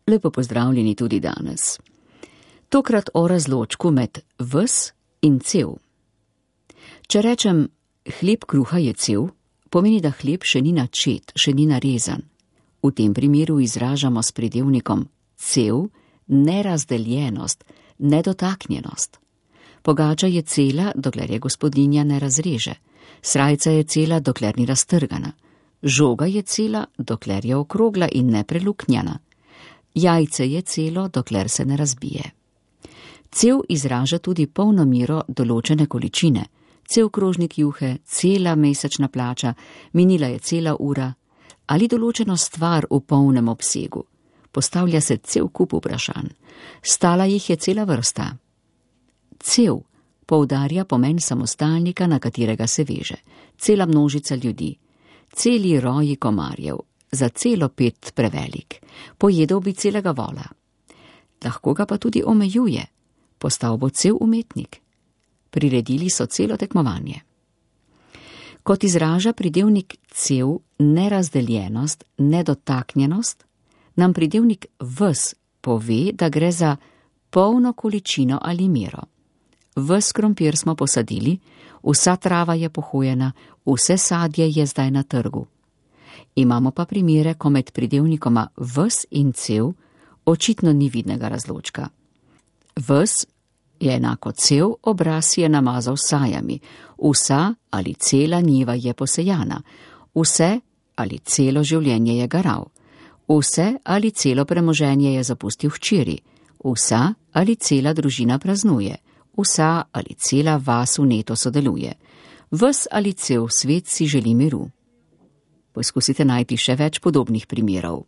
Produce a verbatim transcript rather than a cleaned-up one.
Lepo pozdravljeni tudi danes. Tokrat o razločku med ves in cel. Če rečem, hleb kruha je cel, pomeni, da hleb še ni načet, še ni narezan. V tem primeru izražamo s pridevnikom cel nerazdeljenost, nedotaknjenost. Pogača je cela, dokler je gospodinja ne razreže. Srajca je cela, dokler ni raztrgana. Žoga je cela, dokler je okrogla in nepreluknjana. Jajce je celo, dokler se ne razbije. Cel izraža tudi polno mero določene količine. Cel krožnik juhe, cela mesečna plača, minila je cela ura ali določeno stvar v polnem obsegu. Postavlja se cel kup vprašanj. Stala jih je cela vrsta. Cel poudarja pomen samostalnika, na katerega se veže. Cela množica ljudi. Celi roji komarjev. Za celo pet prevelik. Pojedel bi celega vola. Lahko ga pa tudi omejuje. Postal bo cel umetnik. Priredili so celo tekmovanje. Kot izraža pridevnik cel nerazdeljenost, nedotaknjenost, nam pridevnik ves pove, da gre za polno količino ali mero. Ves krompir smo posadili, vsa trava je pohojena, vse sadje je zdaj na trgu. Imamo pa primere, ko med pridevnikoma ves in cel očitno ni vidnega razločka. Ves je enako cel, obraz je namazal sajami, vsa ali cela njiva je posejana, vse ali celo življenje je garal, vse ali celo premoženje je zapustil hčeri, vsa ali cela družina praznuje, vsa ali cela vas vneto sodeluje, ves ali cel svet si želi miru. Poskusite najti še več podobnih primerov.